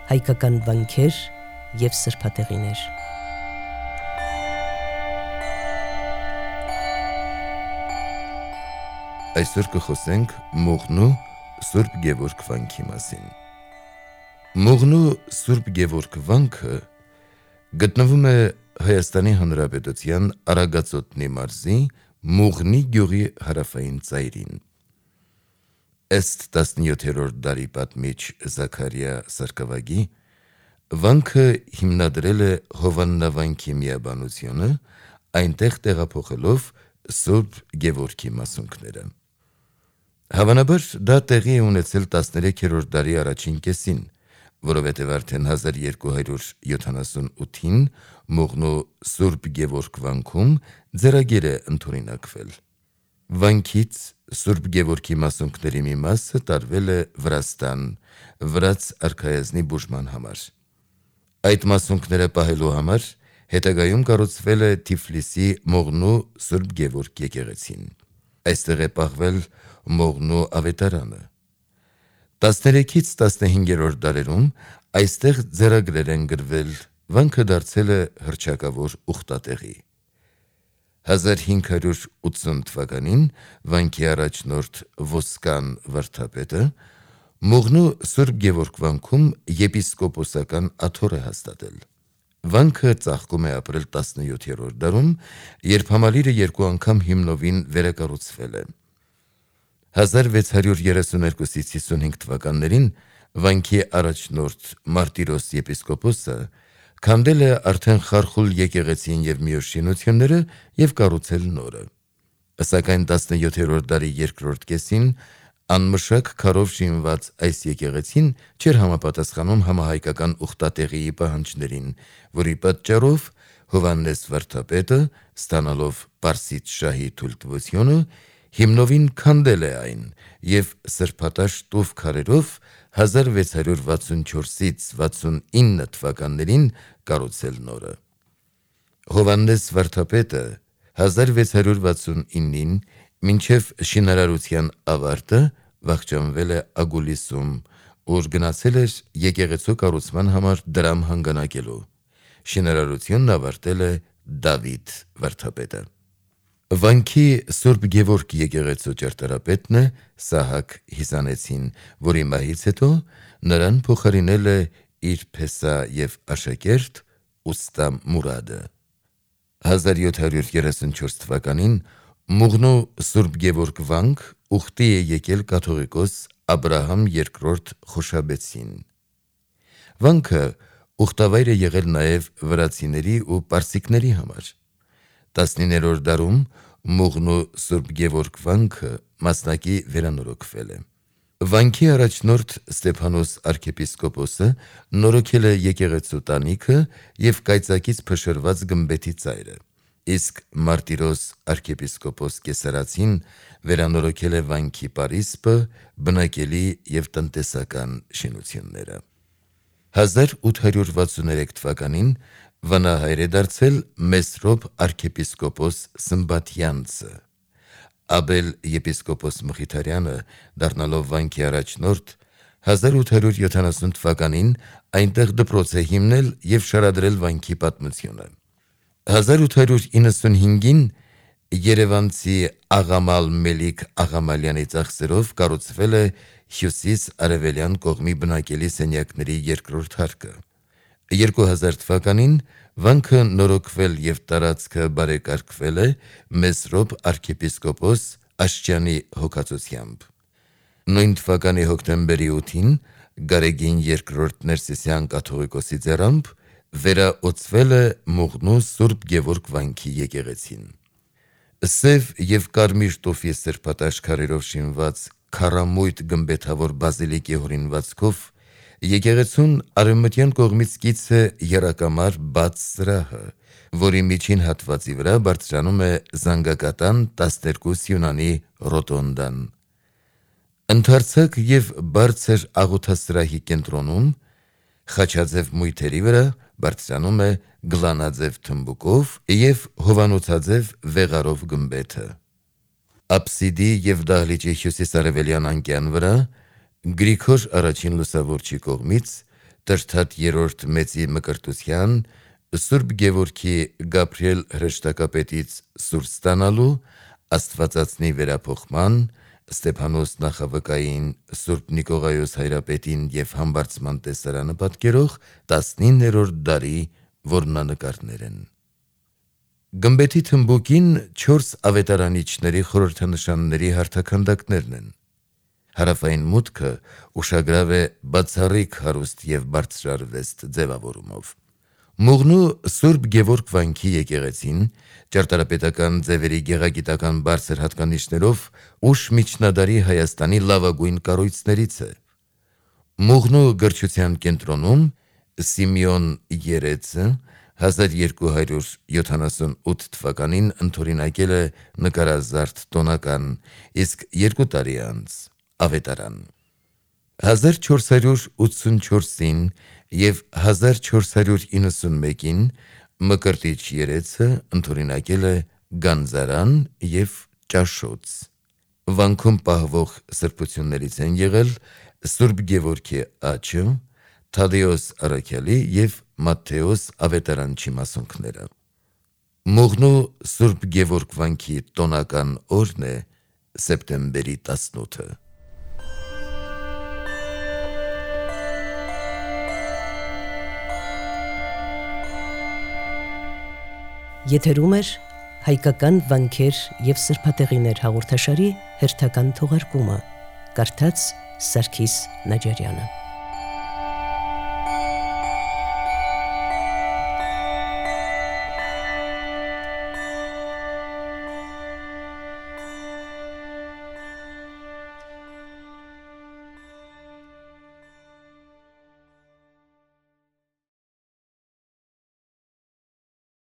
հայկական վանքեր և սրբատեղիներ։ Այսօր կխոսենք Մուղնու Սուրբ Գևորգ վանքի մասին։ Մուղնու Սուրբ Գևորգ վանքը գտնվում է Հայաստանի Հանրապետության Արագածոտնի մարզի Մուղնի գյուղի հարավային ծայրին։ Ըստ 17-րդ դարի պատմիչ Զաքարիա Սարգսակի, վանքը հիմնադրել է Հովաննավանքի միաբանությունը, այնտեղ տեղափոխելով Սուրբ Գևորգի մասունքները։ Հավանաբար դա տեղի է ունեցել 13-րդ դարի առաջին կեսին, որովհետև արդեն 1278-ին Մուղնու Սուրբ Գևորգ վանքում ձեռագիր է ընդօրինակվել։ Վանքից Սուրբ Գևորգի մասունքների մի մասը տարվել է Վրաստան, վրաց արքայազնի բուժման համար։ Այդ մասունքները պահելու համար հետագայում կառուցվել է Թիֆլիսի Մուղնու Սուրբ Գևորգ եկեղեցին։ Այստեղ է պահվել Մուղնու ավետարանը։ 13-ից 15-րդ դարերում այստեղ ձեռագրեր են գրվել, վանքը դարձել է հռչակավոր ուխտատեղի։ 1580 թվականին վանքի առաջնորդ Ոսկան վարդապետը Մուղնու Սուրբ Գևորգ վանքում եպիսկոպոսական աթոռ է հաստատել։ Վանքը ծաղկում է ապրել 17-րդ դարում, երբ համալիրը երկու անգամ հիմնովին վերակառուցվել է։ 1632-ից 55 թվականներին վանքի առաջնորդ Մարտիրոս եպիսկոպոսը քանդել է արդեն խարխուլ եկեղեցին և մյուս շինությունները և կառուցել նորը։ Սակայն 17-րդ դարի երկրորդ կեսին անմշակ քարով շինված այս եկեղեցին չէր համապատասխանում համահայկական ուխտատեղիի պահանջներին, որի պատճառով Հովհաննես վարդապետը, ստանալով Պարսից շահի թույլտվությունը, հիմնովին քանդել է այն և սրբատաշ տուֆ քարերով 1664-ից 69 թվականներին կառուցել նորը։ Հովհաննես վարդապետը 1669-ին մինչև շինարարության ավարտը վախճանվել է Ագուլիսում, ուր գնացել էր եկեղեցու կառուցման համար դրամ հանգանակելու։ Շինարարությունն ավարտել է Դավիթ վարդապետը։ Վանքի Սուրբ Գևորգ եկեղեցու ճարտարապետն է Սահակ Հիսանեցին, որի մահից հետո նրան փոխարինել է իր փեսա և աշակերտ ուստա Մուրադը։ 1734 թվականին Մուղնու Սուրբ Գևորգ վանք ուխտի է եկել կաթողիկոս Աբրահամ II Խոշաբեցին։ Վանքը ուխտավայր է եղել նաև վրացիների ու պարսիկների համար։ 19-րդ դարում Մուղնու Սուրբ Գևորգ վանքը մասնակի վերանորոգվել է։ Վանքի առաջնորդ Ստեփանոս arczepiskopos-ը նորոգել է եկեղեցու տանիքը և կայծակից փշրված գմբեթի ծայրը, իսկ Մարտիրոս arczepiskopos Կեսարացին վերանորոգել է վանքի պարիսպը, բնակելի և տնտեսական շինությունները։ 1863 թվականին վանահայր է դարձել Մեսրոպ arczepiskopos Սմբաթյանցը։ Աբել եպիսկոպոս Մխիթարյանը, դառնալով վանքի առաջնորդ, 1870 թվականին այնտեղ դպրոց է հիմնել և շարադրել վանքի պատմությունը։ 1895-ին երևանցի Աղամալ Մելիք Աղամալյանի ծախսերով կառուցվել է հյուսիս-արևելյան կողմի բնակելի սենյակների երկրորդ հարկը։ 2000 թվականին վանքը նորոգվել և տարածքը բարեկարգվել է Մեսրոպ arczepiskopos Աշճյանի հոգացությամբ։ Նույն թվականի հոկտեմբերի 8-ին Գարեգին II Ներսիսյան կաթողիկոսի ձեռամբ վերաօծվել է Մուղնու Սուրբ Գևորգ վանքի եկեղեցին։ Սև և կարմիր տուֆի սրբատաշ քարերով շինված քառամույթ գմբեթավոր բազիլիկի հորինվածքով եկեղեցուն արևմտյան կողմից կից է եռակամար բաց սրահը, որի միջին հատվածի վրա բարձրանում է զանգակատան 12 սյունանի ռոտոնդան։ Ընդարձակ և բարձր աղոթասրահի կենտրոնում խաչաձև մույթերի վրա բարձրանում է գլանաձև թմբուկով և հովանոցաձև վեղարով գմբեթը։ Աբսիդի և դահլիճի հյուսիս-արևելյան անկյան վրա Գրիգոր I լուսավորչի կողմից Տրթատ 3-րդ մեծի մկրտության, Սուրբ Գևորգի Գաբրիել հրեշտակապետից սուր ստանալու, Աստվածածնի վերափոխման, Ստեփանոս նախավկային, Սուրբ Նիկողայոս հայրապետին և համբարձման տեսարանը պատկերող 19-րդ դարի որմնանկարներ են։ Գմբեթի թմբուկին 4 ավետարանիչների խորհրդանշանների հարթաքանդակներն են։ Հարավային մուտքը ուշագրավ է բացառիկ հարուստ և բարձրարվեստ ձևավորումով։ Մուղնու Սուրբ Գևորգ վանքի եկեղեցին ճարտարապետական ձևերի գեղագիտական բարձր հատկանիշներով ուշ միջնադարի Հայաստանի լավագույն կառույցներից է։ Մուղնու գրչության կենտրոնում Սիմեոն Երեցը 1278 թվականին ընդօրինակել է նկարազարդ տոնական, իսկ 2 տարի անց ավետարան։ 1484-ին և 1491-ին Մկրտիչ Երեցը ընդօրինակել է գանձարան և ճաշոց։ Վանքում պահվող սրբություններից են եղել Սուրբ Գևորգի աչը, Թադեոս առաքյալի և Մատթեոս ավետարանչի մասունքները։ Մուղնու Սուրբ Գևորգ վանքի տոնական օրն է սեպտեմբերի 18-ը։ Եթերում էր հայկական վանքեր և սրբատեղիներ հաղորդաշարի հերթական թողարկումը, կարդաց Սարգիս Նաջարյանը։